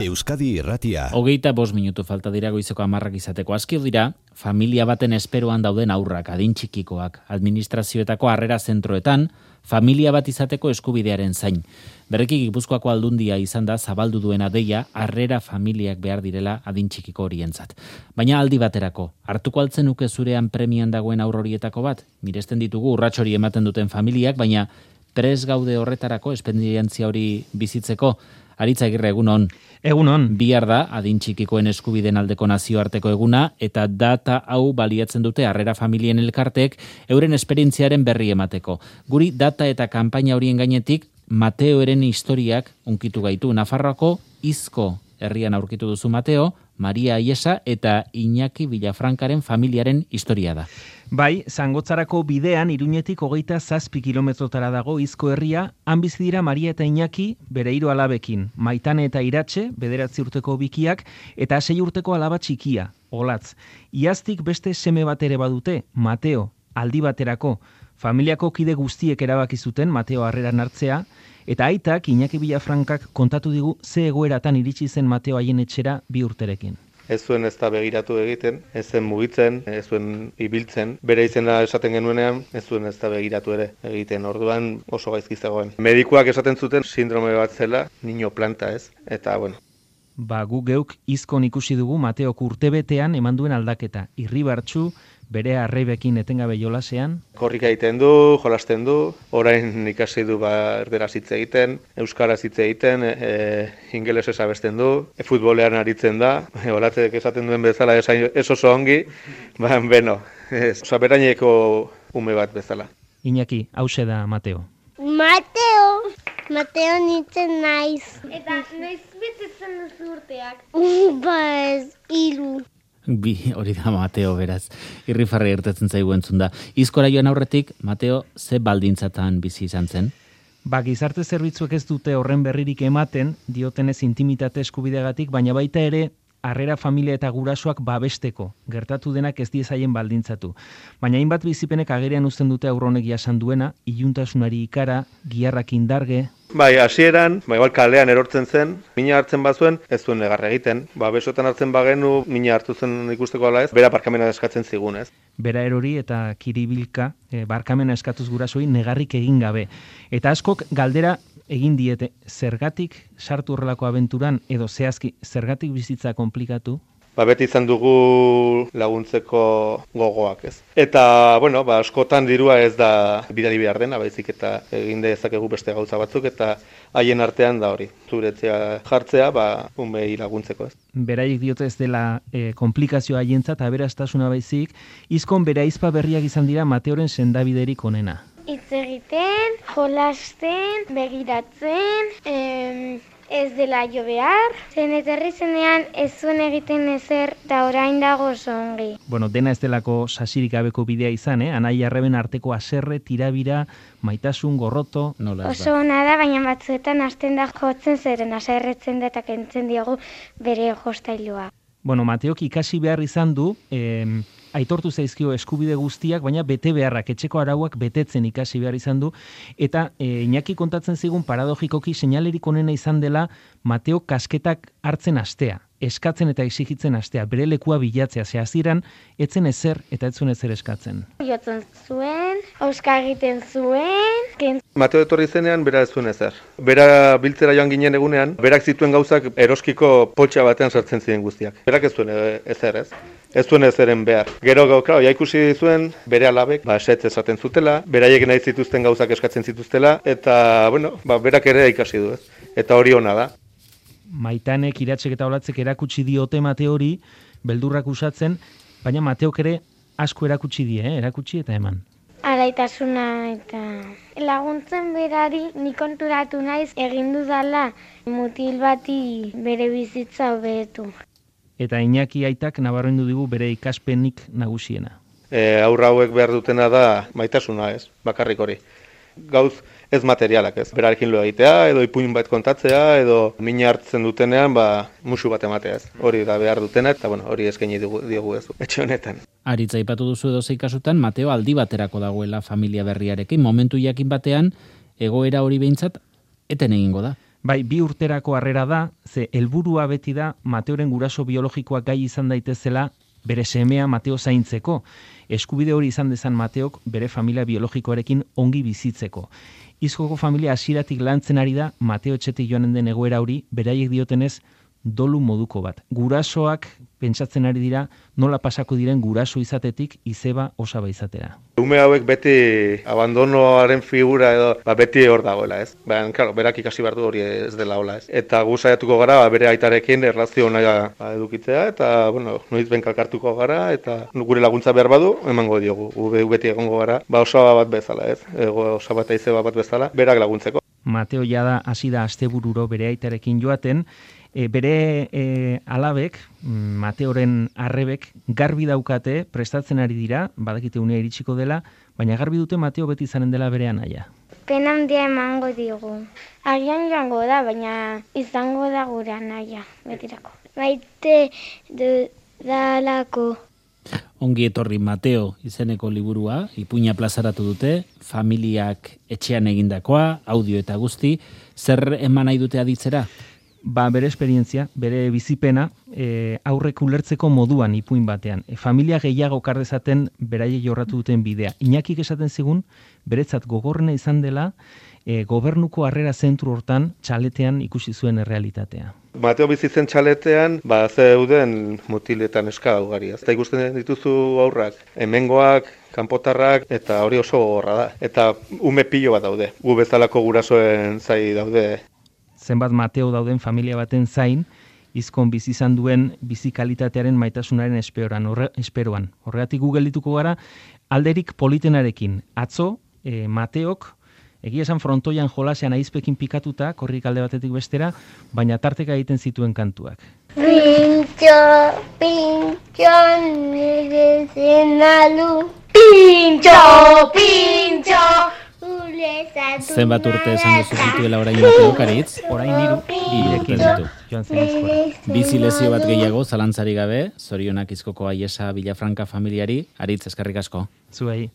Euskadi Irratia. 25 minutu falta dira goizeko 10 izateko. Aski dira, familia baten esperoan dauden aurrak, adin txikikoak, administrazioetako harrera zentroetan, familia bat izateko eskubidearen zain. Berriki Gipuzkoako Aldundia izan da zabaldu duena deia harrera familiak behar direla adin txikiko horientzat. Baina aldi baterako, hartuko altzen nuke zurean premian dagoen aur horietako bat? Miresten ditugu urrats hori ematen duten familiak, baina prest gaude horretarako, esperientzia hori bizitzeko. Aritz Agirre, egunon. Egunon. Bihar da, adin txikikoen eskubideen aldeko nazioarteko eguna, eta data hau baliatzen dute harrera familien elkarteek euren esperientziaren berri emateko. Guri data eta kanpaina horien gainetik, Mateoren historiak unkitu gaitu. Nafarroako Izko herrian aurkitu duzu Mateo, Maria Aiesa eta Iñaki Villafrancaren familiaren historia da. Bai, Zangotzarako bidean Iruñetik 27 kilometrotara dago Izko herria, han bizi dira Maria eta Iñaki bere 3 alabekin, Maitane eta Iratxe, 9 urteko bikiak, eta 6 urteko alaba txikia, Olatz. Iaztik beste seme bat ere badute, Mateo, aldi baterako. Familiako kide guztiek erabaki zuten Mateo harreran hartzea, eta aitak Iñaki Villafrancak kontatu digu ze egoeratan iritsi zen Mateo haien etxera 2 urterekin. Ez zuen ez da begiratu egiten, ez zen mugitzen, ez zuen ibiltzen. Bere izena esaten genuenean, ez zuen ez da begiratu ere egiten. Orduan oso gaizki zegoen. Medikuak esaten zuten sindrome bat zela, niño planta ez. Eta bueno. Gu geuk Izkon ikusi dugu Mateok urtebetean eman duen aldaketa. Irribartsu, bere arreibekin etengabe jolasean. Korrika egiten du, jolasten du, orain ikasi du erderaz hitz egiten, euskaraz hitz egiten, ingelesez abesten du, futbolean aritzen da, olatzek esaten duen bezala ez oso ongi, beno, beraineko ume bat bezala. Iñaki, hause da Mateo. Mateo nintzen naiz. Eta noiz betetzen duzu urteak? Ez, 3. Hori da Mateo, beraz. Irrifarri irtetzen zaigu entzun da. Izkora joan aurretik, Mateo, ze baldintzatan bizi izan zen? Gizarte zerbitzuek ez dute horren berririk ematen, diotenez intimitate eskubideagatik, baina baita ere, harrera familia eta gurasoak babesteko, gertatu denak ez diezaien baldintzatu. Baina hainbat bizipenek agerian uzten dute aurronek jasan duena, iluntasunari ikara, giharrak indarge. Bai, hasieran, igual kalean erortzen zen, mina hartzen bazuen, ez zuen negar egiten. Besotan hartzen bagenu, mina hartu zen ikusteko ala ez, bera barkamena eskatzen zigun ez. Bera erori eta kiribilka, barkamena eskatuz gurasoi negarrik egin gabe. Eta askok galdera egin diete, zergatik sartu horrelako abenturan, edo zehazki, zergatik bizitza komplikatu? Beti izan dugu laguntzeko gogoak ez. Eta, askotan dirua ez da bidali behar dena, baizik eta egin dezakegu beste gauza batzuk, eta haien artean da hori. Zuretzea jartzea, umei laguntzeko ez. Beraiek diote ez dela komplikazioa haientzat, aberastasuna baizik, Izkon bere ahizpa berriak izan dira Mateoren sendabiderik onena. Hitz egiten, jolasten, begiratzen, ez dela jo behar. Zen etorri zenean ez zuen egiten ezer eta orain dago oso ongi. Dena ez delako sasirik gabeko bidea izan, anai arreben arteko aserre, tirabira, maitasun, gorroto. Oso ona da, baina batzuetan hasten da jotzen zeren aserretzen da eta kentzen diogu bere jostailua. Mateok ikasi behar izan du, aitortu zaizkio eskubide guztiak, baina bete beharrak, etxeko arauak betetzen ikasi behar izan du, eta Iñaki kontatzen zigun paradogikoki seinalerik onena izan dela Mateo kasketak hartzen hastea, eskatzen eta exigitzen hastea, bere lekua bilatzea, hasieran etzen ezer eta etzuen ezer eskatzen. Jotzen zuen, auska egiten zuen. Mateo etorri zenean, bera ez zuen ezer. Bera biltzera joan ginen egunean, berak zituen gauzak eroskiko poltsa batean sartzen ziren guztiak. Berak ez zuen ezer ez. Ez zuen ezeren behar. Gero ikusi zuen, bere alabek, esetz esaten zutela, beraiek nahi zituzten gauzak eskatzen zituztela, eta, berak ere ikasi du ez. Eta hori ona da. Maitanek, Iratxek eta Olatzek erakutsi diote Mateori, beldurrak usatzen, baina Mateok ere asko erakutsi die, erakutsi eta eman. Alaitasuna eta laguntzen berari nik konturatu naiz egin dudala mutil bati bere bizitza hobetu. Eta Iñaki aitak nabarmendu digu bere ikaspenik nagusiena. Aurra hauek behar dutena da maitasuna ez, bakarrik hori. Gauz ez materialak ez. Berarekin lo egitea, edo ipuin bat kontatzea, edo mina hartzen dutenean, musu bat ematea ez. Hori da behar dutena, eta hori eskaini diogu ez, etxe honetan. Aritza aipatu duzu edozein kasutan, Mateo aldi baterako dagoela familia berriarekin, momentu jakin batean, egoera hori behintzat, eten egingo da. Bai, 2 urterako harrera da, ze helburua beti da Mateoren guraso biologikoak gai izan daitezela bere semea Mateo zaintzeko. Eskubide hori izan dezan Mateok bere familia biologikoarekin ongi bizitzeko. Izkoko familia hasieratik lantzen ari da Mateo etxetik joanen den egoera hori, beraiek diotenez dolu moduko bat. Gurasoak pentsatzen ari dira nola pasako diren guraso izatetik izeba osaba izatera. Ume hauek beti abandonoaren figura edo beti hor dagoela, ez? Baina, claro, berak ikasi behar du hori ez dela hola, ez? Eta gu saiatuko gara bere aitarekin erlazio ona edukitzea eta, bueno, noiz benkalkartuko gara eta gure laguntza behar badu emango diogu. Gu beti egongo gara, osaba bat bezala, ez? Osaba eta izeba bat bezala, berak laguntzeko. Mateo jada hasi da astebururo bere aitarekin joaten, bere alabek, Mateoren arrebek, garbi daukate, prestatzen ari dira, badakite unea iritsiko dela, baina garbi dute Mateo beti izanen dela bere anaia. Pena handia emango digu. Agian joango da, baina izango da gure anaia, betirako. Maite dudalako. Ongi etorri Mateo izeneko liburua, ipuina plazaratu dute, familiak etxean egindakoa, audio eta guzti, zer eman nahi dute aditzera? Ba, bere esperientzia, bere bizipena, aurrek ulertzeko moduan ipuin batean. Familia gehiago kardezaten beraiek jorratu duten bidea. Iñakik esaten zigun, beretzat gogorrena izan dela, gobernuko harrera zentru hortan txaletean ikusi zuen errealitatea. Mateo bizitzen txaletean, zeuden mutiletan eska ugari. Eta ikusten dituzu aurrak, hemengoak, kanpotarrak, eta hori oso gogorra da. Eta ume pilo bat daude, gu bezalako gurasoen zai daude. Zenbat Mateo dauden familia baten zain, izkon bizi izan duen bizikalitatearen maitasunaren esperoan. Horregatik gu geldituko gara, alderik politenarekin. Atzo, Mateok, egia esan frontoian jolasean aizpekin pikatuta, korrik alde batetik bestera, baina tarteka egiten zituen kantuak. Pintxo, pintxo, nire zenalu. Pintxo, pintxo. Zenbat urte esan duzu zituela orain Mateo Karitz? Orain 3 urte ditu. Joan zen eskora. Bizi lezio bat gehiago, zalantzari gabe, zorionak Izkoko Aiesa Villafranca familiari, Aritz eskerrik asko. Zuei.